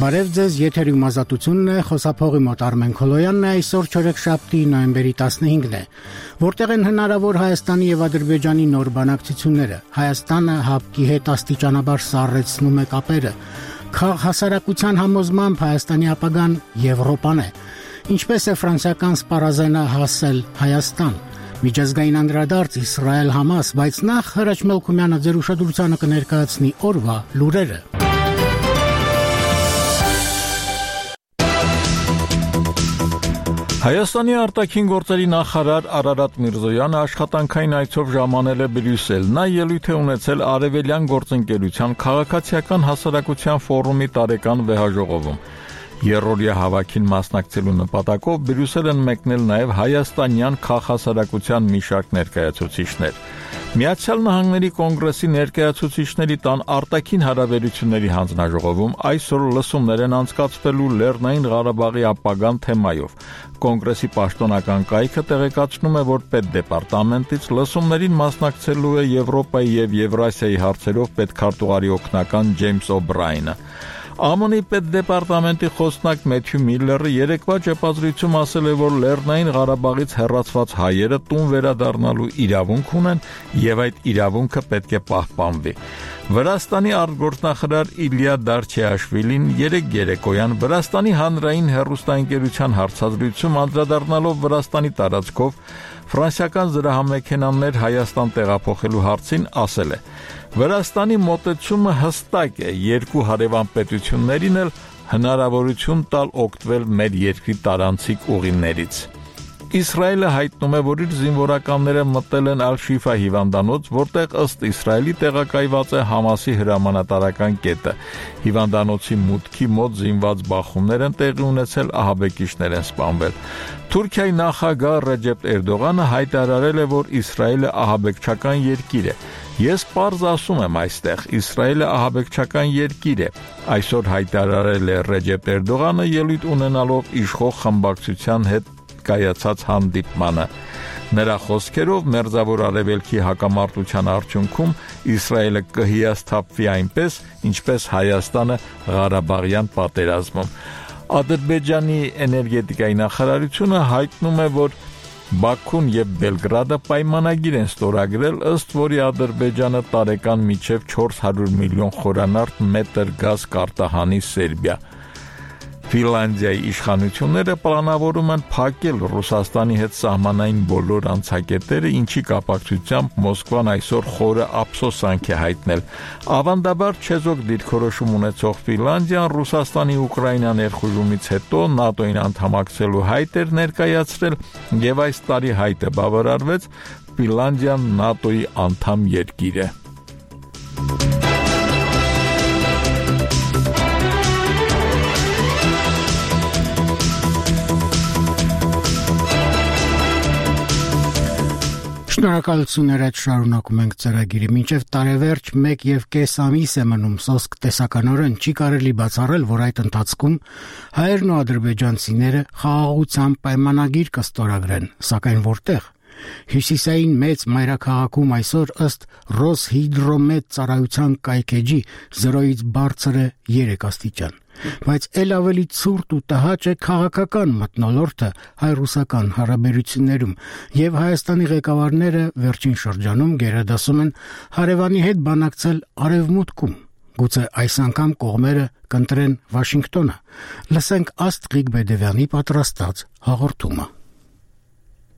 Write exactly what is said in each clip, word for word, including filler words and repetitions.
Բարև ձեզ, եթերում ազատությունն է, խոսափողի մոտ Արմեն Քոլոյանն է, այսօր չորեքշաբթի նոյեմբերի տասնհինգն է, որտեղ են հնարավոր Հայաստանի եւ Ադրբեջանի նոր բանակցությունները։ Հայաստանը ՀԱՊԿ-ի հետ աստիճանաբար սառեցնում է կապերը։ Քաղաքասարակության համոզմամբ Հայաստանի ապագան Եվրոպան է։ Ինչպես է ֆրանսիական սպառազենը հասել Հայաստան։ Միջազգային անդրադարձ Իսրայել-Համաս, բայց նախ Հրաչ Մելքումյանը ձեր ուշադրությանը կներկայացնի օրվա լուրերը։ Հայաստանի արտաքին գործերի նախարար Արարատ Միրզոյանը աշխատանքային այցով ժամանել է Բրյուսել։ Նա ելույթ է ունեցել Արևելյան գործընկերության քաղաքացիական հասարակության ֆորումի տարեկան վեհաժողովում։ Երրորդյա հավաքին մասնակցելու նպատակով Բրյուսել են մեկնել նաև հայաստանյան քաղաքասարակության մի շարք ներկայացուցիչներ։ Միացյալ Նահանգների կոնգրեսի ներկայացուցիչների տան արտաքին հարաբերությունների հանձնաժողովում այսօր լսումներ են անցկացվելու Լեռնային Ղարաբաղի ապագան թեմայով։ Կոնգրեսի պաշտոնական կայքը տեղեկացնում է, որ պետդեպարտամենտից լսումներին մասնակցելու է Եվրոպայի եւ Եվրասիայի հարցերով պետքարտուղարի օգնական Ջեյմս Օբրայնը։ ԱՄՆ-ի պետդեպարտամենտի խոսնակ Մեթյու Միլլերը երեկվա ճեպազրույցում ասել է, որ Լեռնային Ղարաբաղից հեռացված հայերը տուն վերադառնալու իրավունք ունեն եւ այդ իրավունքը պետք է պահպանվի։ Վրաստանի արտգործնախարար Իլիա Դարչեաշվիլին երեկ երեկոյան Վրաստանի հանրային հեռուստաընկերության հարցազրույցում անդրադառնալով Վրաստանի տարածքով ֆրանսիական զրահամեքենաներ Հայաստան տեղափոխելու հարցին ասել է. Վրաստանի մոտեցումը հստակ է, երկու հարևան պետություններին էլ հնարավորություն տալ օգտվել մեր երկրի տարանցիկ ուղիներից։ Իսրայելը հայտնում է, որ իր զինվորականները մտել են Ալ-Շիֆա հիվանդանոց, որտեղ ըստ Իսրայելի տեղակայված է Համասի հրամանատարական կետը։ Հիվանդանոցի մուտքի մոտ զինված բախումներ են տեղի ունեցել, ահաբեկիչներ են սպանվել։ Թուրքիայի նախագահ Ռեջեփ Էրդողանը հայտարարել է, որ Իսրայելը ահաբեկչական երկիր է։ Ես պարզ ասում եմ այստեղ, Իսրայելը ահաբեկչական երկիր է, այսօր հայտարարել է Ռեջեփ Էրդողանը ելույթ ունենալով իշխող խմբակցության հետ կայացած հանդիպմանը։ Նրա խոսքերով Մերձավոր Արևելքի հակամարտության արդյունքում Իսրայելը կհիասթափվի այնպես, ինչպես Հայաստանը Ղարաբաղյան պատերազմում։ Ադրբեջանի էներգետիկայի նախարարությունը հայտնում է, որ Բաքուն եւ Բելգրադը պայմանագիր են ստորագրել, ըստ որի Ադրբեջանը տարեկան մինչև չորս հարյուր միլիոն խորանարդ մետր գազ կարտահանի Սերբիա։ Ֆինլանդիայի իշխանությունները պլանավորում են փակել Ռուսաստանի հետ սահմանային բոլոր անցակետերը, ինչի կապակցությամբ Մոսկվան այսօր խորը ափսոսանք է հայտնել։ Ավանդաբար չեզոք դիրքորոշում ունեցող Ֆինլանդիան Ռուսաստանի Ուկրաինա ներխուժումից հետո ՆԱՏՕ-ին անդամակցելու հայտ էր ներկայացրել եւ այս տարի հայտը բավարարվեց, Ֆինլանդիան ՆԱՏՕ-ի անդամ երկիր է։ Շնորհակալություն այդ շարունակում ենք ծրագիրը։ Մինչև տարեվերջ մեկ եւ կես ամիս է մնում սոսկ տեսականորեն չի կարելի բացառել, որ այդ ընթացքում հայերն ու ադրբեջանցիները խաղաղության պայմանագիր կստորագրեն, սակայն որտեղ։ Հյուսիսային մեծ մայրաքաղաքում այսօր ըստ Ռոսհիդրոմետ ծառայության կայքեջի զրոյից բարձր է երեք աստիճան։ Բայց ել ավելի ցուրտ ու տհաճ է քաղաքական մթնոլորտը հայ-ռուսական հարաբերություններում եւ Հայաստանի ղեկավարները վերջին շրջանում գերադասում են հարևանի հետ բանակցել արևմուտքում։ Գուցե այս անգամ կողմերը կընտրեն Վաշինգտոնը։ Լսենք Աստղիկ Բեդևյանի պատրաստած հաղորդումը։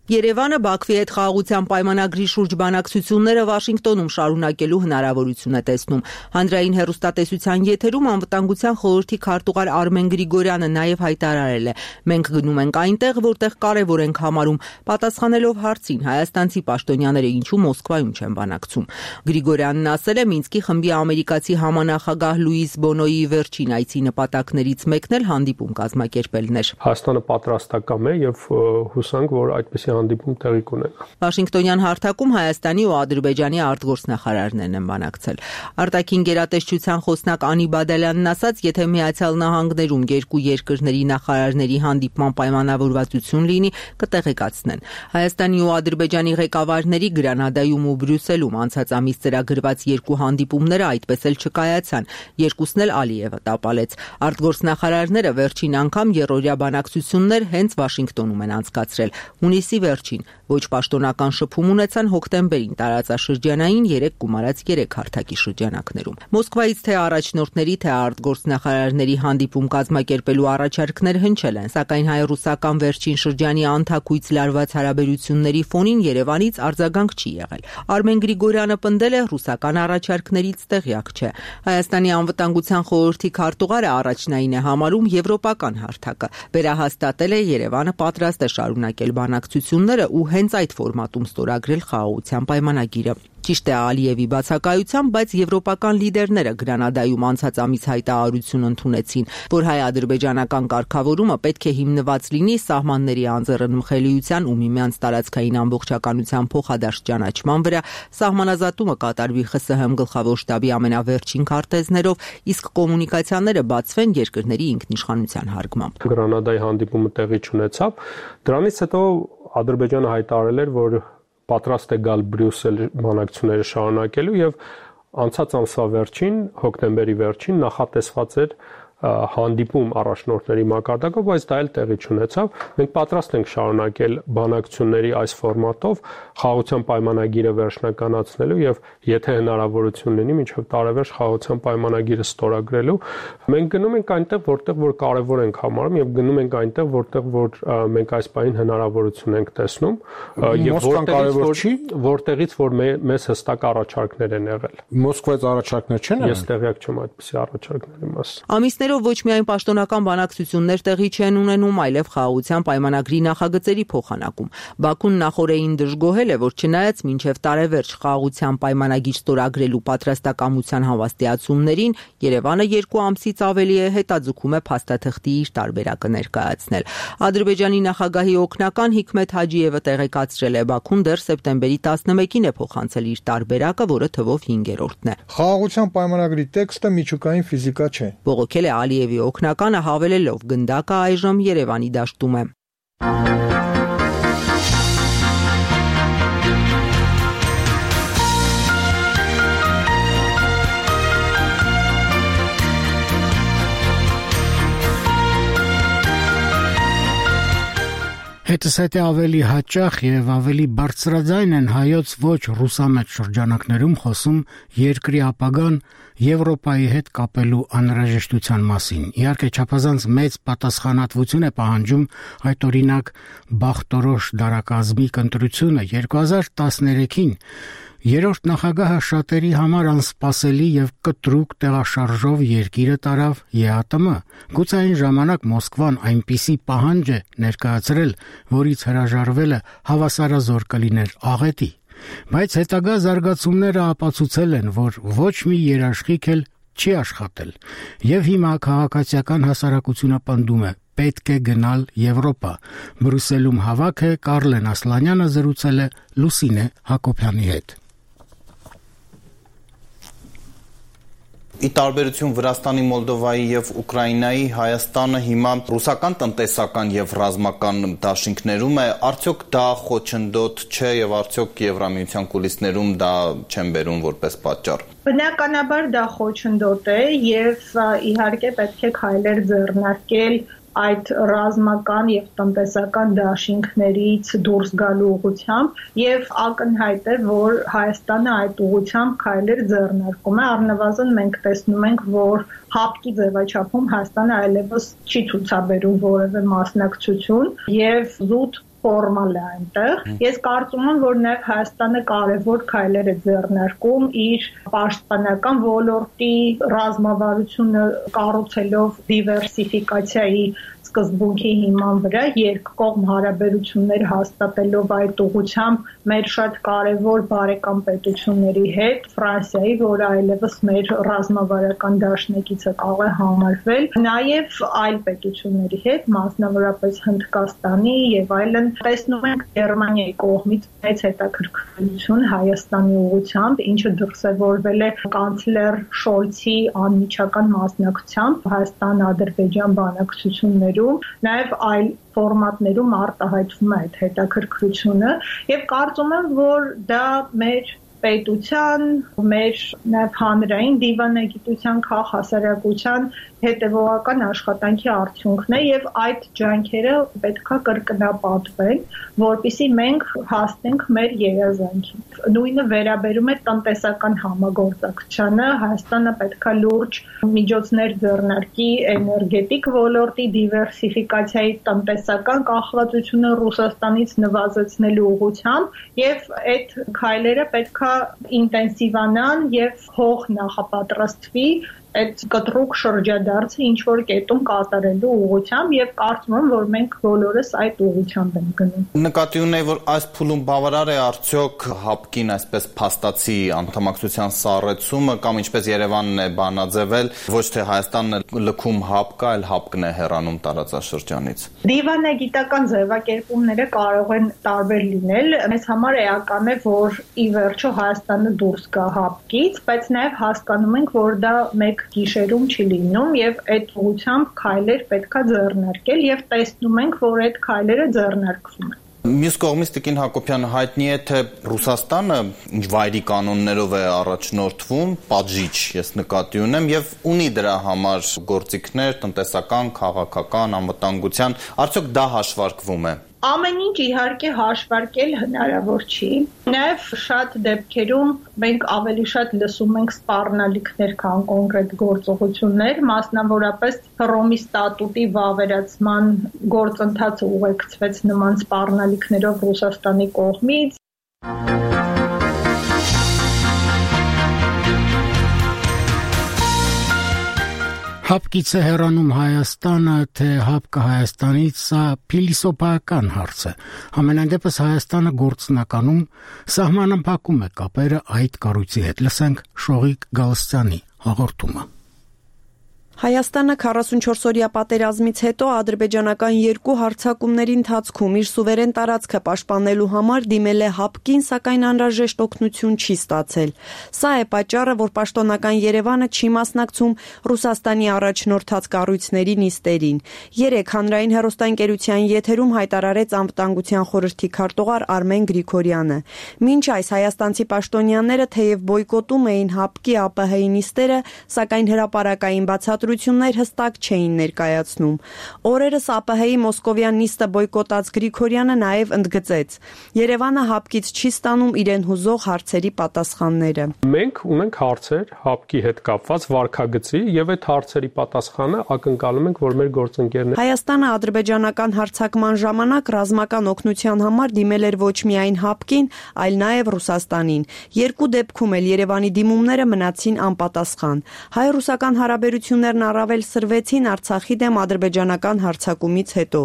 Երևանը Բաքվի հետ խաղաղության պայմանագրի շուրջ բանակցությունները Վաշինգտոնում շարունակելու հնարավորություն է տեսնում։ Հանրային հեռուստատեսության եթերում անվտանգության խորհրդի քարտուղար Արմեն Գրիգորյանը նաև հայտարարել է. «Մենք գնում ենք այնտեղ, որտեղ կարևոր ենք համարում», պատասխանելով հարցին հայաստանցի պաշտոնյաները ինչու Մոսկվայում չեն բանակցում։ Գրիգորյանն ասել է Մինսկի խմբի ամերիկացի համանախագահ Լուիս Բոնոյի վերջին այցի նպատակներից մեկն էլ հանդիպում կազմակերպելն էր։ Հայաստանը պատրաստակամ է եւ հուսանք, որ այդպիսի հանդիպում տեղի կունենա։ Վաշինգտոնյան հարթակում Հայաստանի ու Ադրբեջանի արտգործնախարարներն են բանակցել։ Արտաքին գերատեսչության խոսնակ Անի Բադալյանն ասաց, եթե Միացյալ Նահանգներում երկու երկրների նախարարների հանդիպման պայմանավորվածություն լինի, կտեղեկացնեն։ Հայաստանի ու Ադրբեջանի ղեկավարների Գրանադայում ու Բրյուսելում անցած ամիս ծրագրված երկու հանդիպումները այդպես էլ չկայացան։ Երկուսն էլ Ալիևը տապալեց։ Արտգործնախարարները վերջին անգամ երրորդյա բանակցություններ հենց Վաշինգտոնում են անցկացրել։ Հունիսի վերջին ոչ պաշտոնական շփում ունեցան հոկտեմբերին տարածաշրջանային երեք գումարած երեք հարթակի շրջանակներում։ Մոսկվայից թե առաջնորդների, թե արտգործնախարարների հանդիպում կազմակերպելու առաջարկներ հնչել են, սակայն հայ-ռուսական վերջին շրջանի անթակույց լարված հարաբերությունների ֆոնին Երևանից արձագանք չի եղել։ Արմեն Գրիգորյանը պնդել է, ռուսական առաջարկներից տեղյակ չէ։ Հայաստանի անվտանգության խորհրդի քարտուղարը առաջնային է համարում եվրոպական հարթակը։ Վերահաստատել է Երևանը պատրաստ է շարունակել բանակցությունները ու հենց այդ ֆորմատում ստորագրել խաղաղության պայմանագիրը։ Ճիշտ է Ալիևի բացակայությամբ, բայց եվրոպական լիդերները Գրանադայում անցած ամիս հայտարարություն ընդունեցին, որ հայ-ադրբեջանական կարգավորումը պետք է հիմնված լինի սահմանների անձեռնմխելիության ու միմյանց տարածքային ամբողջականության փոխադարձ ճանաչման վրա, սահմանազատումը կատարվի ԽՍՀՄ գլխավոր շտաբի ամենավերջին քարտեզներով, իսկ կոմունիկացիաները բացվեն երկրների ինքնիշխանության հարգմամբ։ Գրանադայի հանդիպումը տեղի չունեցավ, դրանից հետո Ադրբեջանը հայտարարել էր, որ պատրաստ է գալ Բրյուսել բանակցությունները շարունակելու եւ անցած ամսվա վերջին, հոկտեմբերի վերջին նախատեսված էր հանդիպում առաջնորդների մակարդակով, բայց դա էլ տեղի չունեցավ։ Մենք պատրաստ ենք շարունակել բանակցությունների այս ֆորմատով խաղաղության պայմանագիրը վերջնականացնելու եւ եթե հնարավորություն լինի մինչեւ տարեվերջ խաղաղության պայմանագիրը ստորագրելու։ Մենք գնում ենք այնտեղ, որտեղ որ կարեւոր ենք համարում եւ գնում ենք այնտեղ, որտեղ որ մենք այս պահին հնարավորություն ենք տեսնում եւ որտեղից որ չի, որտեղից որ մեզ հստակ առաջարկներ են եղել։ Մոսկվայից առաջարկներ չեն եղել։ Ես տեղյակ չեմ այդպիսի առաջարկների մասին։ Ամիսներով ոչ միայն պաշտոնական բանակցություններ տեղի չեն ունենում, այլև խաղաղության պայմանագրի նախագծերի փոխանակում։ Բաքուն նախօրեին դժգոհել է, որ չնայած մինչև տարեվերջ խաղաղության պայմանագիր ստորագրելու պատրաստակամության հավաստիացումներին, Երևանը երկու ամսից ավելի է հետաձգում է փաստաթղթի իր տարբերակը ներկայացնել։ Ադրբեջանի նախագահի օգնական Հիկմետ Հաջիևը տեղեկացրել է, Բաքուն դեռ սեպտեմբերի տասնմեկին է փոխանցել իր տարբերակը, որը թվով հինգերորդն է։ Խաղաղության պայմանագրի տեքստը միջուկային ֆիզիկա չէ։ Բողոքել է Ալիևի օգնականը հավելելով գնդակը այժմ Երևանի դաշտում է։ Հետսետե ավելի հաճախ եւ ավելի բարձրաձայն են հայոց ոչ ռուսամետ շրջանակներում խոսում երկրի ապագան Եվրոպայի հետ կապելու անհրաժեշտության մասին։ Իհարկե չափազանց մեծ պատասխանատվություն է պահանջում այդ օրինակ Բախտորոշ դարակազմի կընտրությունը երկու հազար տասներեքին Երրորդ նախագահը շատերի համար անսպասելի եւ կտրուկ տեղաշարժով երկիրը տարավ ԵԱՏՄ։ Գուցե այն ժամանակ Մոսկվան այնպիսի պահանջ է ներկայացրել, որից հրաժարվելը հավասարազոր կլիներ աղետի։ Բայց հետագա զարգացումները ապացուցել են, որ ոչ մի երաշխիք էլ չի աշխատել։ Եվ հիմա քաղաքացիական հասարակությունը պնդում է. պետք է գնալ Եվրոպա։ Բրյուսելում հավաք է Կարլեն Ասլանյանը զրուցել է Լուսինե Հակոբյանի հետ։ Ի տարբերություն Վրաստանի, Մոլդովայի եւ Ուկրաինայի, Հայաստանը հիմա ռուսական տնտեսական եւ ռազմական դաշինքներում է, արդյոք դա խոչընդոտ չէ եւ արդյոք Եվրամիության կուլիսներում դա չեն բերում որպես պատճառ։ Բնականաբար դա խոչընդոտ է եւ իհարկե պետք է քայլեր ձեռնարկել այդ ռազմական եւ տնտեսական դաշինքներից դուրս գալու ուղղությամբ եւ ակնհայտ է, որ Հայաստանը այդ ուղղությամբ քայլեր ձեռնարկում է, առնվազն մենք տեսնում ենք, որ հապկի ձևաչափում Հայաստանը այլևս չի ցուցաբերում որևէ մասնակցություն եւ զուտ ֆորմալ է այնտեղ։ Ես կարծում եմ, որ նաև Հայաստանը կարևոր քայլեր է ձեռնարկում իր պաշտպանական ոլորտի ռազմավարությունը կառուցելով դիվերսիֆիկացիայի սկզբունքի հիման վրա երկկողմ հարաբերություններ հաստատելով այդ ուղղությամբ մեր շատ կարևոր բարեկամ պետությունների հետ, Ֆրանսիայի, որը այլևս մեր ռազմավարական դաշնակիցը կարող է համարվել, նաև այլ պետությունների հետ, մասնավորապես Հնդկաստանի եւ այլն, տեսնում ենք Գերմանիայի կողմից մեծ հետաքրքրություն Հայաստանի ուղղությամբ, ինչը դրսևորվել է կանցլեր Շոլցի անմիջական մասնակցությամբ Հայաստան-Ադրբեջան բանակցություններում, նաև այլ ֆորմատներում արտահայտվում է այդ հետաքրքրությունը եւ կարծում եմ, որ դա մեր պետության, մեր նաև հանրային դիվանագիտության, քաղաքասարակության հետևողական աշխատանքի արդյունքն է եւ այդ ջանքերը պետքա կրկնապատվեն, որպեսզի մենք հասնենք մեր երազանքին։ Նույնը վերաբերում է տնտեսական համագործակցությանը, Հայաստանը պետքա լուրջ միջոցներ ձեռնարկի էներգետիկ ոլորտի դիվերսիֆիկացիայի, տնտեսական կախվածությունը Ռուսաստանից նվազեցնելու ուղղությամբ եւ այդ քայլերը պետքա ինտենսիվանան եւ հող նախապատրաստվի այդ կտրուկ շրջադարձը ինչ որ կետում կատարելու ուղղությամբ եւ կարծում եմ, որ մենք բոլորս այդ ուղղությամբ ենք գնում։ Նկատի ունեի, որ այս փուլում բավարար է արդյոք ՀԱՊԿ-ին այսպես փաստացի անդամակցության սառեցումը կամ ինչպես Երևանն է բանաձևել, ոչ թե Հայաստանն է լքում ՀԱՊԿ-ը, այլ ՀԱՊԿ-ն է հեռանում տարածաշրջանից։ Դիվանագիտական ձևակերպումները կարող են տարբեր լինել։ Մեզ համար էական է, որ ի վերջո Հայաստանը դուրս գա ՀԱՊԿ-ից, բայց նաեւ հասկանում ենք, որ դա մեկ գիշերում չի լինում եւ այդ ուղղությամբ քայլեր պետքա ձեռնարկել եւ տեսնում ենք, որ այդ քայլերը ձեռնարկվում են։ Մյուս կողմից Տիկին Հակոբյանը հայտնի է, թե Ռուսաստանը ինչ վայրի կանոններով է առաջնորդվում, պատժիչ ես նկատի ունեմ եւ ունի դրա համար գործիքներ, տնտեսական, քաղաքական, անվտանգության, արդյոք դա հաշվարկվում է։ Ամեն ինչ իհարկե հաշվարկել հնարավոր չի։ Նաև շատ դեպքերում մենք ավելի շատ լսում ենք սպառնալիքներ, քան կոնկրետ գործողություններ, մասնավորապես Հռոմի ստատուտի վավերացման գործընթացը ուղեկցվեց նման սպառնալիքներով Ռուսաստանի կողմից։ ՀԱՊԿ-ից է հեռանում Հայաստանը, թե ՀԱՊԿ-ը Հայաստանից, սա փիլիսոփայական հարց է։ Համենայն դեպս Հայաստանը գործնականում սահմանափակում է կապերը այդ կառույցի հետ։ Լսենք Շողիկ Գալստյանի հաղորդումը։ Հայաստանը քառասունչորսօրյա պատերազմից հետո ադրբեջանական երկու հարձակումների ընթացքում իր սուվերեն տարածքը պաշտպանելու համար դիմել է ՀԱՊԿ-ին, սակայն անհրաժեշտ օգնություն չի ստացել։ Սա է պատճառը, որ պաշտոնական Երևանը չի մասնակցում Ռուսաստանի առաջնորդած կառույցների նիստերին։ Երեկ հանրային հեռուստաընկերության եթերում հայտարարեց անվտանգության խորհրդի քարտուղար Արմեն Գրիգորյանը։ Մինչ այս հայաստանցի պաշտոնյաները թեև բոյկոտում էին ՀԱՊԿ-ի ԱՊՀ-ի նիստերը, սակայն հրապարակային բացատրություններ հստակ չէին ներկայացնում։ Օրերս ԱՊՀ-ի Մոսկովյան նիստը բոյկոտած Գրիգորյանը նաև ընդգծեց. Երևանը ՀԱՊԿ-ից չի ստանում իրեն հուզող հարցերի պատասխանները։ Մենք ունենք հարցեր ՀԱՊԿ-ի հետ կապված վարքագծի եւ այդ հարցերի պատասխանը ակնկալում ենք, որ մեր գործընկերները։ Հայաստանը ադրբեջանական հարձակման ժամանակ ռազմական օգնության համար դիմել էր ոչ միայն ՀԱՊԿ-ին, այլ նաև Ռուսաստանին։ Երկու դեպքում էլ Երևանի դիմումները մնացին անպատասխան։ Հայ-ռուսական հարաբերություններն առավել սրվեցին Արցախի դեմ ադրբեջանական հարձակումից հետո։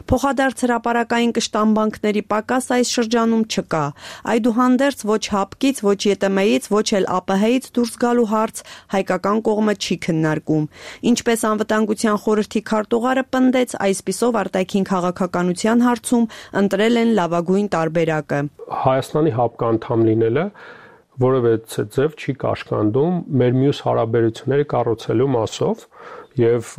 Փոխադարձ հրապարակային կշտամբանքների պակաս այս շրջանում չկա։ Այդուհանդերձ ոչ ՀԱՊԿ-ից, ոչ ԵՏՄ-ից, ոչ էլ ԱՊՀ-ից դուրս գալու հարց հայկական կողմը չի քննարկում։ Ինչպես անվտանգության խորհրդի քարտուղարը պնդեց, այսպիսով արտաքին քաղաքականության հարցում ընտրել են լավագույն տարբերակը։ Հայաստանի ՀԱՊԿ անդամ լինելը որևէ ձև չի կաշկանդում մեր մյուս հարաբերությունները կառուցելու մասով եւ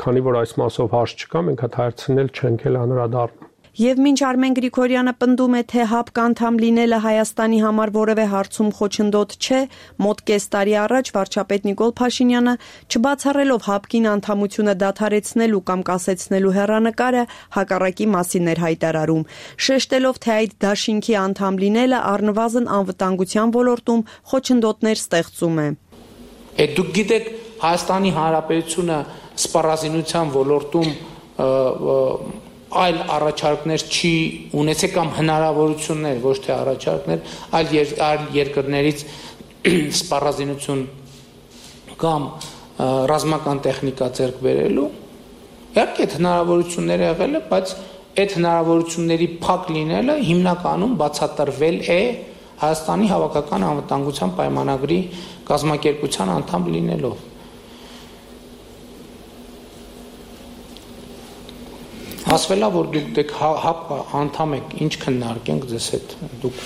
քանի որ այս մասով հարց չկա, մենք այդ հարցին էլ չենք էլ անդրադառնում։ Եվ մինչ Արմեն Գրիգորյանը պնդում է, թե ՀԱՊԿ անդամ լինելը Հայաստանի համար որևէ հարցում խոչընդոտ չէ, մոտ կես տարի առաջ վարչապետ Նիկոլ Փաշինյանը, չբացառելով ՀԱՊԿ-ին անդամությունը դադարեցնելու կամ կասեցնելու հեռանկարը, հակառակի մասին էր հայտարարում, շեշտելով, թե այդ դաշինքի անդամ լինելը առնվազն անվտանգության ոլորտում խոչընդոտներ ստեղծում է։ Այդ դուք գիտեք, Հայաստանի Հանրապետությունը սպառազինության ոլորտում այլ առաջարկներ չի ունեցել կամ հնարավորություններ, ոչ թե առաջարկներ, այլ, եր, այլ երկրներից սպառազինություն կամ ռազմական տեխնիկա ձեռք բերելու Իհարկե հնարավորություններ եղել է, բայց այդ հնարավորությունների փակ լինելը հիմնականում բացատրվել է Հայաստանի հավաքական անվտանգության պայմանագրի կազմակերպության անդամ լինելով։ Ասվելա, որ դուք դեք հապ անդամ եք, ինչ քննարկենք ձեզ հետ դուք։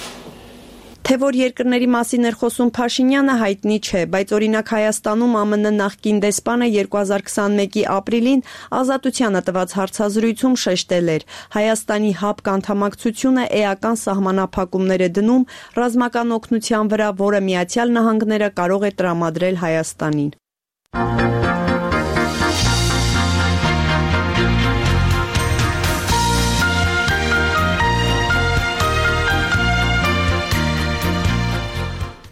Թե որ երկրների մասին էր խոսում Փաշինյանը հայտնի չէ, բայց օրինակ Հայաստանում ԱՄՆ նախկին դեսպանը երկու հազար քսանմեկի ապրիլին Ազատությանը տված հարցազրույցում շեշտել էր. Հայաստանի ՀԱՊԿ անդամակցությունը էական սահմանափակումներ է դնում ռազմական օգնության վրա, որը Միացյալ Նահանգները կարող է տրամադրել Հայաստանին։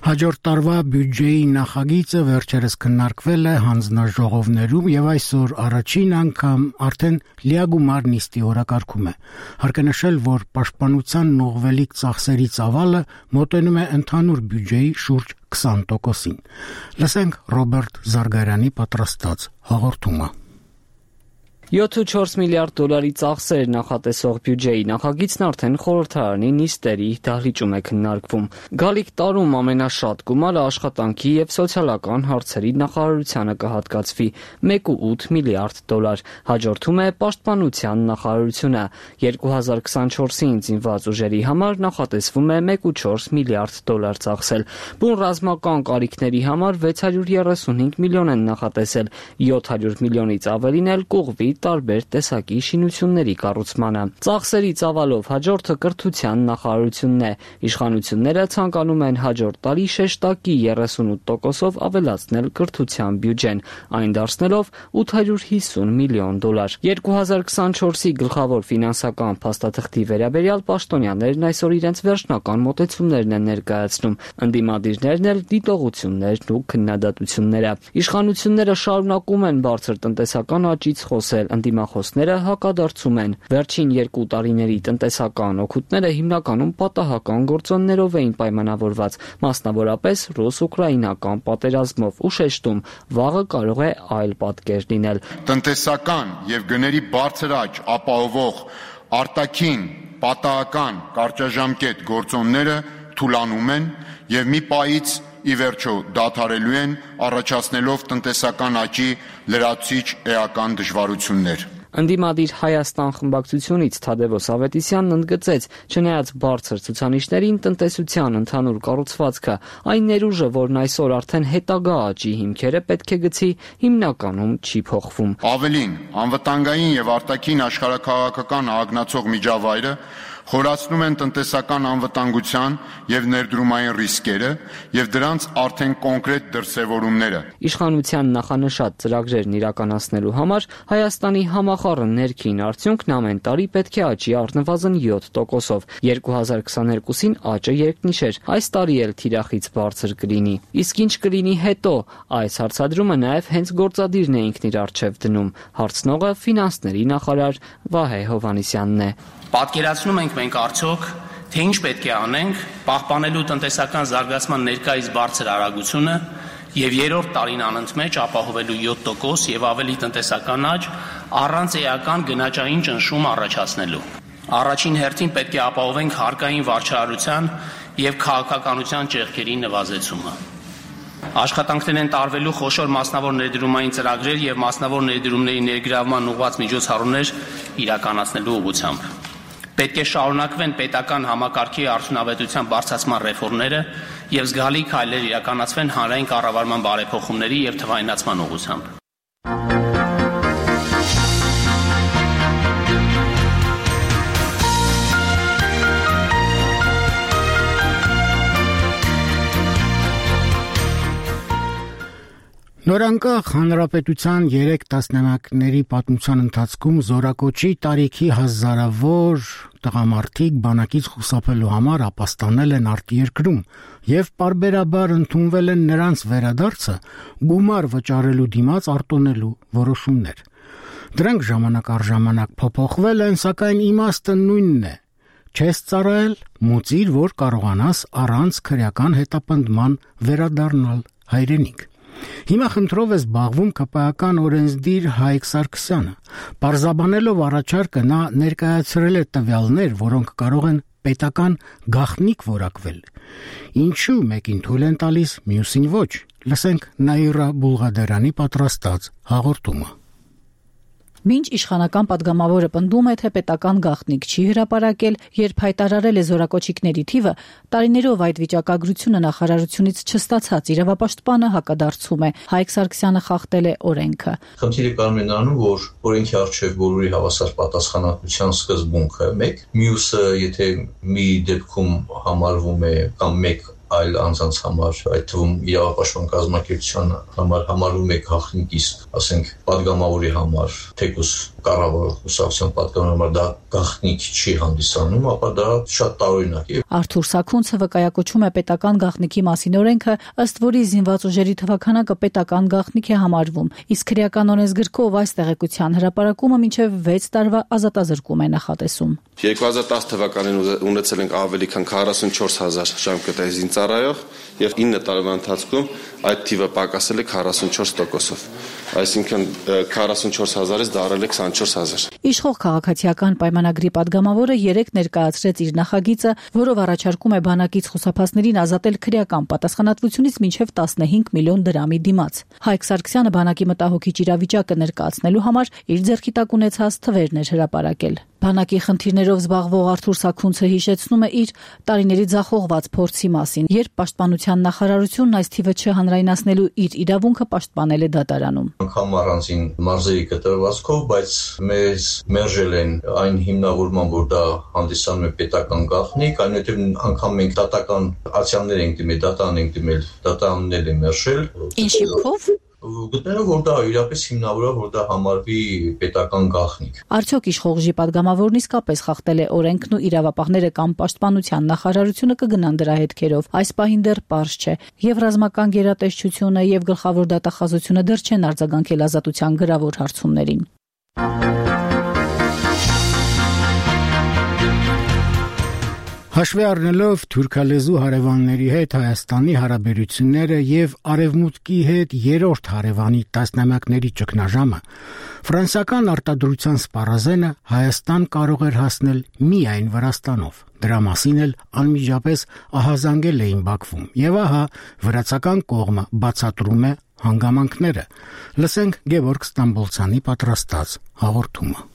Հաջորդ տարվա բյուջեի նախագիծը վերջերս քննարկվել է հանձնաժողովներում եւ այսօր առաջին անգամ արդեն լիագումար նիստի օրակարգում է։ Հարկ է նշել, որ պաշտպանության նողվելիք ծախսերի ծավալը մոտենում է ընդհանուր բյուջեի շուրջ քսան տոկոսին։ Լսենք Ռոբերտ Զարգարյանի պատրաստած հաղորդումը։ յոթ ու չորս միլիարդ դոլարի ծախսեր նախատեսող բյուջեի նախագիծն արդեն խորհրդարանի նիստերի դահլիճում է քննարկվում։ Գալիք տարում ամենաշատ գումարը աշխատանքի եւ սոցիալական հարցերի նախարարությանը կհատկացվի մեկ ու ութ միլիարդ դոլար։ Հաջորդում է պաշտպանության նախարարությունը։ երկու հազար քսանչորսին զինված ուժերի համար նախատեսվում է մեկ ու չորս միլիարդ դոլար ծախսել։ Բուն ռազմական կարիքների համար վեց հարյուր երեսունհինգ միլիոն են նախատեսել, յոթ հարյուր միլիոնից ավելին էլ կուղվի տարբեր տեսակի շինությունների կառուցմանը։ Ծախսերի ծավալով հաջորդը կրթության նախարարությունն է։ Իշխանությունները ցանկանում են հաջորդ տարի շեշտակի երեսունութ տոկոսով ավելացնել կրթության բյուջեն, այն դարձնելով ութ հարյուր հիսուն միլիոն դոլար։ երկու հազար քսանչորսի գլխավոր ֆինանսական փաստաթղթի վերաբերյալ պաշտոնյաներն այսօր իրենց վերջնական մոտեցումներն են ներկայացնում, ընդդիմադիրներն էլ դիտողություններն ու քննադատությունները։ Իշխանությունները շարունակում են բարձր տնտեսական աճից խոսել, ընդդիմախոսները հակադարձում են։ Վերջին երկու տարիների տնտեսական օգուտները հիմնականում պատահական գործոններով էին պայմանավորված, մասնավորապես ռուս-ուկրաինական պատերազմով, ու շեշտում, վաղը կարող է այլ պատկեր լինել։ Տնտեսական եւ գների բարձր աճ ապահովող արտաքին պատահական կարճաժամկետ գործոնները թուլանում են եւ մի պահից ի վերջո դադարելու են, առաջացնելով տնտեսական աճի լրացուցիչ էական դժվարություններ։ Ընդդիմադիր Հայաստան խմբակցությունից Թադևոս Ավետիսյանն ընդգծեց, չնայած բարձր ցուցանիշներին, տնտեսության ընդհանուր կառուցվածքը, այն ներուժը, որն այսօր արդեն հետագա աճի հիմքերը պետք է գցի, հիմնականում չի փոխվում։ Ավելին, անվտանգային եւ արտաքին աշխարհաքաղաքական ագնացող միջավայրը խորացնում են տնտեսական անվտանգության եւ ներդրումային ռիսկերը եւ դրանց արդեն կոնկրետ դրսեւորումները։ Իշխանության նախանշած ծրագրերն իրականացնելու համար Հայաստանի համախառն ներքին արդյունքն ամեն տարի պետք է աճի առնվազն յոթ տոկոսով։ երկու հազար քսաներկուսին աճը երկնիշեր, այս տարի էլ թիրախից բարձր կլինի։ Իսկ ինչ կլինի հետո, այս հարցադրումը նաեւ հենց գործադիրն է ինքն իր առջեւ դնում։ Հարցնողը ֆինանսների նախարար Վահե Հովհաննիսյանն է։ Պատկերացնում ենք մենք արդյոք, թե ինչ պետք է անենք պահպանելու տնտեսական զարգացման ներկայիս բարձր արագությունը եւ երրորդ տարին անընդմեջ ապահովելու յոթ տոկոս եւ ավելի տնտեսական աճ առանց էական գնաճային ճնշում առաջացնելու։ Առաջին հերթին պետք է ապահովենք հարկային վարչարարության եւ քաղաքականության ճեղքերի նվազեցումը։ Աշխատանքներ են տարվելու խոշոր մասնավոր ներդրումային ծրագրեր եւ մասնավոր ներդրումների ներգրավման ուղղված միջոցառումներ իրականացնելու ուղղությամբ։ Պետք է շարունակվեն պետական համակարգի արդյունավետության բարձրացման ռեֆորմները եւ զգալի քայլեր իրականացվեն հանրային կառավարման բարեփոխումների եւ թվայնացման ուղղությամբ։ Նորանկախ հանրապետության երեք տասնամյակների պատմության ընթացքում զորակոչի տարիքի հազարավոր տղամարդիկ բանակից խուսափելու համար ապաստանել են արտերկրում եւ պարբերաբար ընդունվել են նրանց վերադարձը գումար վճարելու դիմաց արտոնելու որոշումներ։ Դրանք ժամանակ առ ժամանակ փոփոխվել են, սակայն իմաստը նույնն է։ Չես ծառայել, մուծիր, որ կարողանաս առանց քրեական հետապնդման վերադառնալ հայրենիք։ Հիմա խնդրով է զբաղվում ԿՊԱ-ական օրենսդիր Հայկ Սարգսյանը։ Պարզաբանելով առաջարկը նա ներկայացրել է տվյալներ, որոնք կարող են պետական գաղտնիք որակվել։ Ինչու մեկին թույլ են տալիս, մյուսին ոչ։ Լսենք Նաիրա Բուլղադարյանի պատրաստած հաղորդումը։ Մինչ իշխանական падգամավորը պնդում է, թե պետական գաղտնիք չի հրապարակել, երբ հայտարարել է զորակոչիկների թիվը, տարիներով այդ վիճակագրությունը նախարարությունից չստացած իրավապաշտպանը հակադարձում է։ Հայկ Սարգսյանը խախտել է օրենքը։ Խնդիրը կարող է նրանում, որ օրենքի առջև բոլորի հավասար պատասխանատվության սկզբունքը մեկ, մյուսը, եթե մի դեպքում համարվում է կամ մեկ այլ անձանց համար, այդ թվում իրավապաշտպան կազմակերպության համար համարվում է գաղտնիք, իսկ ասենք падգամավորի համար, թեկուզ կառավարող կուսակցության падգամավորի համար դա գաղտնիք չի հանդիսանում, ապա դա շատ տարօրինակ է։ Արթուր Սաքունցը վկայակոչում է պետական գաղտնիքի մասին օրենքը, ըստ որի զինված ուժերի թվաքանակը պետական գաղտնիք է համարվում, իսկ քրեական օրենսգրքով այս տեղեկության հրապարակումը մինչև վեց տարվա ազատազրկում է նախատեսում։ երկու հազար տասը թվականին ունեցել ենք ավելի քան քառասունչորս հազար ժամկետային զինծառայող եւ ինը տարվա ընթացքում այդ թիվը պակասել է քառասունչորս տոկոսով, այսինքն քառասունչորս հազարից դարել է քսանչորս հազար։ Իշխող քաղաքացիական պայմանագրի падգամավորը երեք ներկայացրեց իր նախագիծը, որով առաջարկում է բանակից խուսափածներին ազատել քրեական պատասխանատվությունից մինչև տասնհինգ միլիոն դրամի դիմաց։ Հայկ Սարգսյանը բանակի մտահոգիչ իրավիճակը ներկայացնելու համար իր ձեռքի տակ ունեցած թվերն էր հրապարակել։ Բանակի խնդիրներով զբաղվող Արթուր Սաքունցը հիշեցնում է իր տարիների ձախողված փորձի մասին, երբ պաշտպանության նախարարությունն այս թիվը չհանրայնացնելու իր իրավունքը պաշտպանել է դատարանում։ Անգամ առանձին մարզերի կտրվածքով, բայց մեզ մերժել են այն հիմնավորման, որ դա հանդիսանում է պետական գաղտնիք, այնուհետև անգամ մենք դատական ացիաներ ենք դիմել, դատան ենք դիմել, դատաններ են մերժել։ Ինչի փով գտնելով, որ դա իրապես հիմնավորը, որ դա համարվի պետական գաղտնիք։ Արդյոք իշխող ուժի падգամավորն իսկապես խախտել է օրենքն ու իրավապահները կամ պաշտպանության նախարարությունը կգնան դրա հետքերով։ Այս պահին դեռ պարզ չէ։ Եվ ռազմական գերատեսչությունը եւ գլխավոր դատախազությունը դեռ չեն արձագանքել ազատության գրավոր հարցումներին։ Հաշվի առնելով թուրքալեզու հարևանների հետ Հայաստանի հարաբերությունները եւ Արևմուտքի հետ երրորդ հարևանի տասնամյակների ճգնաժամը, ֆրանսիական արտադրության սպառազենը Հայաստան կարող էր հասնել միայն Վրաստանով։ Դրա մասին էլ անմիջապես ահազանգել էին Բաքվում։ Եվ ահա վրացական կողմը բացատրում է հանգամանքները։ Լսենք Գևորգ Ստամբոլցյանի պատրաստած հաղորդումը։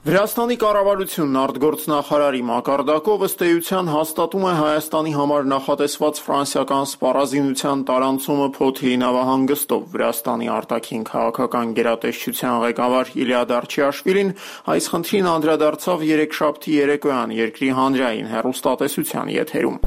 Վրաստանի կառավարությունն արտգործնախարարի մակարդակով ըստ էության հաստատում է Հայաստանի համար նախատեսված ֆրանսիական սպառազինության տարանցումը Փոթիի նավահանգստով։ Վրաստանի արտաքին քաղաքական գերատեսչության ղեկավար Իլիա Դարչիաշվիլին այս խնդրին անդրադարձավ երեքշաբթի երեկոյան երկրի հանրային հեռուստատեսության եթերում։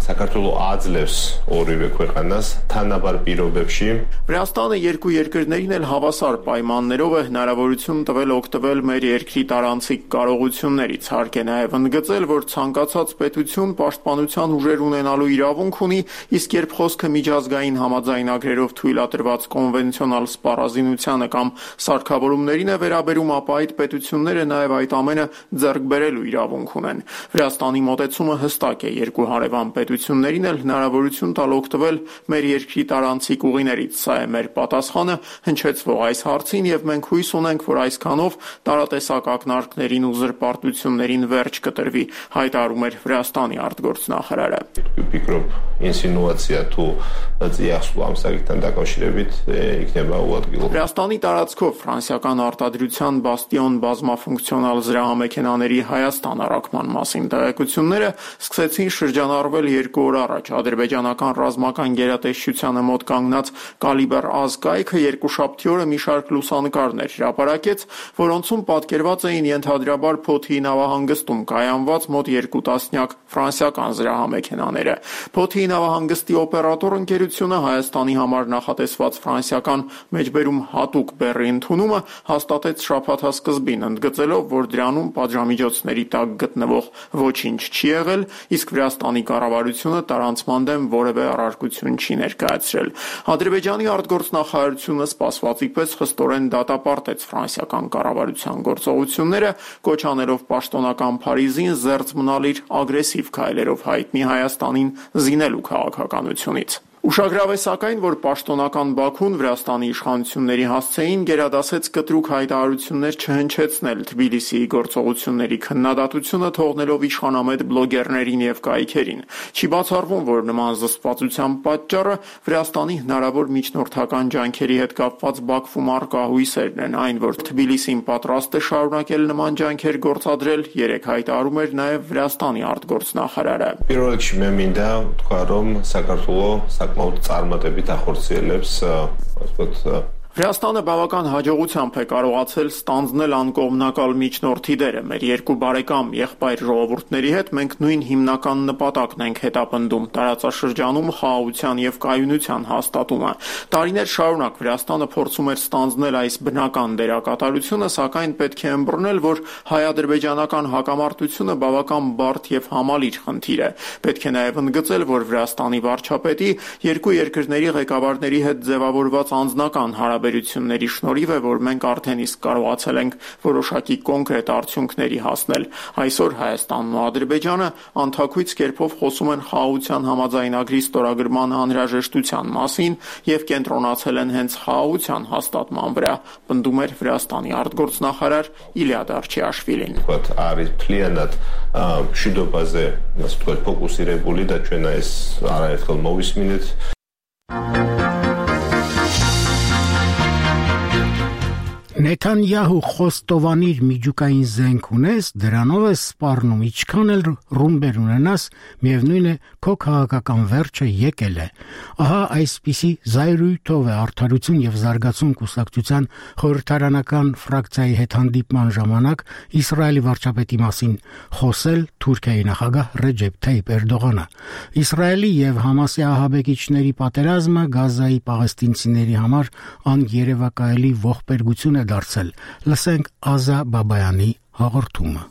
Վրաստանը երկու երկրներին էլ հավասար պայմաններով է հնարավորություն տվել օգտվել մեր երկրի տարանցիկ կարողություններից, հարկ է նաև ընդգծել, որ ցանկացած պետություն պաշտպանության ուժեր ունենալու իրավունք ունի, իսկ երբ խոսքը միջազգային համաձայնագրերով թույլատրված կոնվենցիոնալ սպառազինությանը կամ սարքավորումներին է վերաբերում, ապա այդ պետությունները նաև այդ ամենը ձեռք բերելու իրավունք ունեն։ Վրաստանի մոտեցումը հստակ է, երկու հարևան պետություններին էլ հնարավորություն տալ օգտվել մեր երկրի տարանցիկ ուղիներից։ Սա է մեր պատասխանը հնչեցվող այս հարցին, եւ մենք հույս ունենք, որ այսքանով տարատեսակ ակնարկների ու զրպարտություններին վերջ կտրվի, հայտարարում էր Վրաստանի արտգործնախարարը։ Վրաստանի տարածքով ֆրանսիական արտադրության բաստիոն բազմաֆունկցիոնալ զրահամեքենաների Հայաստան առաքման մասին տեղեկությունները սկսեցին շրջանառվել երկու օր առաջ։ Ադրբեջանական ռազմական գերատեսչությանը մոտ կանգնած Կալիբր ազգայքը երկուշաբթի օրը մի շարք լուսանկարներ հրապարակեց, որոնցում պատկերված էին ենթադրաբար Փոթիի նավահանգստում կայանված մոտ երկու տասնյակ ֆրանսիական զրահամեքենաները։ Փոթիի նավահանգստի օպերատոր ընկերությունը Հայաստանի համար նախատեսված ֆրանսիական մեջբերում հատուկ բեռի ընդունումը հաստատեց շաբաթասկզբին, ընդգծելով, որ դրանում պատժամիջոցների տակ գտնվող ոչինչ չի եղել, իսկ Վրաստանի կառավարությունը տարանցման դեմ որևէ առարկություն չի ներկայացրել։ Ադրբեջանի արտգործնախարարությունը սպասվածի պես խստորեն դատապարտեց ֆրանսիական կառավարության գործողությունները, կոչ անելով պաշտոնական Փարիզին զերծ մնալ իր ագրեսիվ քայլերով հայտնի Հայաստանին զինելու քաղաքականությունից։ Ուշագրավ է սակայն, որ պաշտոնական Բաքուն Վրաստանի իշխանությունների հասցեին գերադասեց կտրուկ հայտարարություններ չհնչեցնել Թբիլիսիի գործողությունների քննադատությունը թողնելով իշխանամետ բլոգերներին եւ կայքերին։ Չի բացառվում, որ նման զսպվածության պատճառը Վրաստանի հնարավոր միջնորդական ջանքերի հետ կապված Բաքվում առկա հույսերն են, այն որ Թբիլիսին պատրաստ է շարունակել նման ջանքեր գործադրել, երեք հայտարարում էր նաեւ Վրաստանի արտգործնախարարը։ Პირველ რიგში მე მინდა თქვა, რომ საქართველოს საკმაოდ წარმატებით ახორციელებს, ასე ვთქვათ, Վրաստանը բավական հաջողությամբ է կարողացել ստանձնել անկողմնակալ միջնորդի դերը։ Մեր երկու բարեկամ եղբայր ժողովուրդների հետ մենք նույն հիմնական նպատակն ենք հետապնդում՝ տարածաշրջանում խաղաղության եւ կայունության հաստատումը։ Տարիներ շարունակ Վրաստանը փորձում էր ստանձնել այս բնական դերակատարությունը, սակայն պետք է ըմբռնել, որ հայ-ադրբեջանական հակամարտությունը բավական բարդ եւ համալիր խնդիր է։ Պետք է նաեւ ընդգծել, որ Վրաստանի վարչապետի երկու երկրների ղեկավարների հետ ձևավորված անձնական հարաբերությունները Վերությունների շնորհիվ է, որ մենք արդեն իսկ կարողացել ենք որոշակի կոնկրետ արդյունքների հասնել։ Այսօր Հայաստանն ու Ադրբեջանը անթաքույց կերպով խոսում են խաղաղության համաձայնագրի ստորագրման անհրաժեշտության մասին եւ կենտրոնացել են հենց խաղաղության հաստատման վրա, պնդում էր Վրաստանի արտգործնախարար Իլիա Դարչիաշվիլին։ Არის փլիանատ շուտոբაზე, ասած որ ֆոկուսիրებული դա ჩვენ այս արայել մովիսմինից Նեթանյահու խոստովանիր միջուկային զենք ունես, դրանով է սպառնում, ինչքան էլ ռումբեր ունենաս, միևնույն է քո քաղաքական վերջը եկել է։ Ահա այսպիսի զայրույթով է Արդարություն եւ զարգացում կուսակցության խորհրդարանական ֆրակցիայի հետ հանդիպման ժամանակ Իսրայելի վարչապետի մասին խոսել Թուրքիայի նախագահ Ռեջեփ Թայիփ Էրդողանը։ Իսրայելի եւ Համասի ահաբեկիչների պատերազմը Գազայի պաղեստինցիների համար անկերևակայելի ողբերգություն է դարձել։ Լսենք Ազա Բաբայանի հաղորդումը։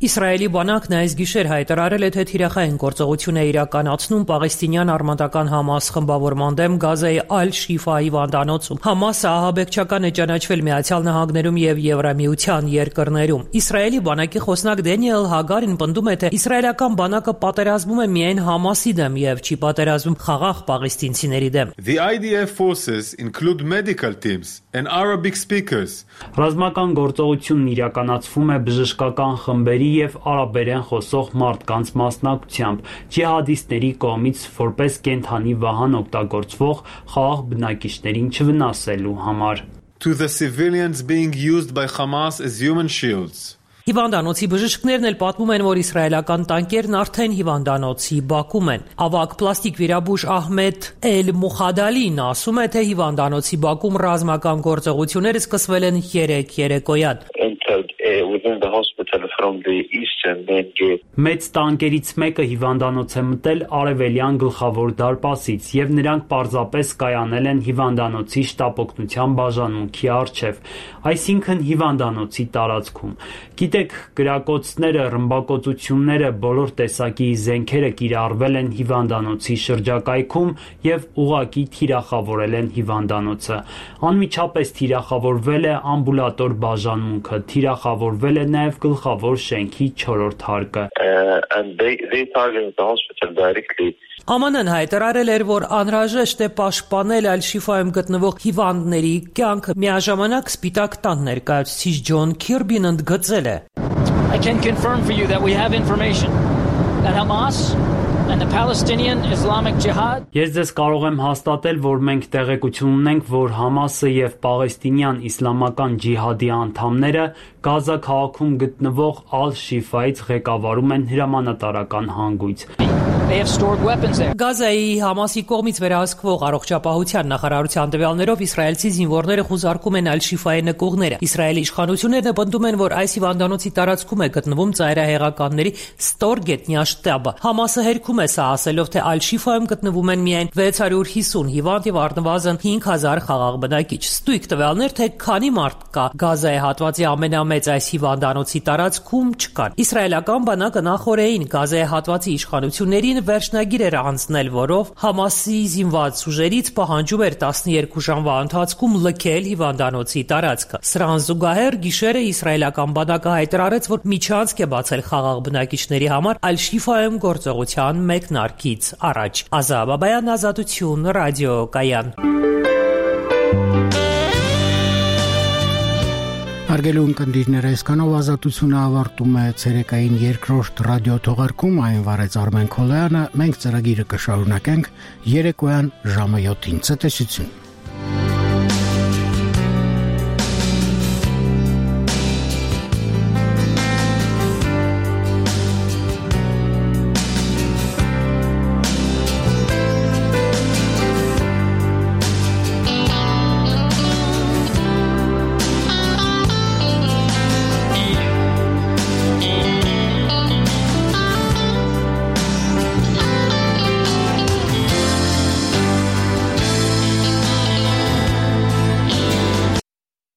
Իսրայելի բանակն այս գիշեր հայտարարել է, թե թիրախային գործողություն է իրականացնում պաղեստինյան արմատական Համաս խմբավորման դեմ Գազայի Ալ-Շիֆայի հիվանդանոցում։ Համասը ահաբեկչական է ճանաչվել Միացյալ Նահանգներում եւ Եվրամիության երկրներում։ Իսրայելի բանակի խոսնակ Դենիել Հագարին պնդում է, թե իսրայելական բանակը պատերազմում է միայն Համասի դեմ եւ չի պատերազմում խաղաղ պաղեստինցիների դեմ։ The I D F forces include medical teams and Arabic speakers. Ռազմական գործողությունն իրականացվում է բժշկական խմբերի եւ արաբերեն խոսող մարդկանց մասնակցությամբ ջիհադիստների կողմից որպես կենթանի վահան օգտագործվող խաղաղ բնակիչներին չվնասելու համար. To the civilians being used by Hamas as human shields. Հիվանդանոցի բժիշկներն էլ պատմում են, որ իսրայելական տանկերն արդեն հիվանդանոցի բակում են։ Ավագ պլաստիկ վիրաբույժ Ահմեդ Էլ-Մուխադալին ասում է, թե հիվանդանոցի բակում ռազմական գործողությունները սկսվել են երեկ երեկոյան։ Մեծ տանկերից մեկը հիվանդանոց է մտել արևելյան գլխավոր դարպասից եւ նրանք պարզապես կայանել են հիվանդանոցի շտապօգնության բաժանմունքի առջև, այսինքն հիվանդանոցի տարածքում։ Գիտեք, գրակոծները, ռմբակոծությունները, բոլոր տեսակի զենքերը կիրառվել են հիվանդանոցի շրջակայքում եւ ուղղակի թիրախավորել են հիվանդանոցը։ Անմիջապես թիրախավորվել է ամբուլատոր բաժանմունքը, թիրախավորվել է նաեւ գլխավոր շենքի չորրորդ հարկը։ Ა Մ Ն-ն հայտարարել էր, որ անհրաժեշտ է պաշտպանել Ալ-Շիֆայում գտնվող հիվանդների կյանքը։ Միաժամանակ Սպիտակ տան ներկայացուցիչ Ջոն Քիրբին ընդգծել է. I can confirm for you that we have information that Hamas and the Palestinian Islamic Jihad. Ես ձեզ կարող եմ հաստատել, որ մենք տեղեկություն ունենք, որ Համասը եւ Պաղեստինյան իսլամական ջիհադի անդամները Գազա քաղաքում գտնվող Ալ-Շիֆայից ղեկավարում են հրամանատարական հանգույց։ They have stored weapons there. Գազայի Համասի կողմից վերահսկվող առողջապահության նախարարության տվյալներով իսրայելցի զինվորները խուզարկում են Ալ-Շիֆայի նկուղները։ Իսրայելի իշխանությունները պնդում են, որ այս հիվանդանոցի տարածքում է գտնվում ծայրահեղականների ստոր գետնյա շտաբը։ Համասը հերքում է սա, ասելով, թե Ալ-Շիֆայում գտնվում են միայն վեց հարյուր հիսուն հիվանդ եւ առնվազն հինգ հազար խաղաղ բնակիչ։ Ստույգ տվյալներ, թե քանի մարդ կա Գազայի հատվածի ամենամեծ այս հիվանդանոցի տարածքում չկան։ Իսրայելական բանակը նախորդին Գազայի հատվածի իշխանություններին վերջնագիր էր անցնել, որով Համասի զինված ուժերից պահանջում էր տասներկու ժամվա ընթացքում լքել հիվանդանոցի տարածքը։ Սրան զուգահեռ գիշերը իսրայելական բանակը հայտարարեց, որ միջանցք է բացել խաղաղ բնակիչների համար Ալ-Շիֆայում գործողության մեկնարկից առաջ։ Ազա Բաբայան, Ազատություն, ռադիոկայան։ Հարգելի ունկնդիրներ, այսքանով Ազատությունը ավարտում է ցերեկային երկրորդ ռադիո թողարկում, այն վարեց Արմեն Քոլոյանը, մենք ծրագիրը կշարունակենք երեկոյան ժամը յոթին։ Ցտեսություն։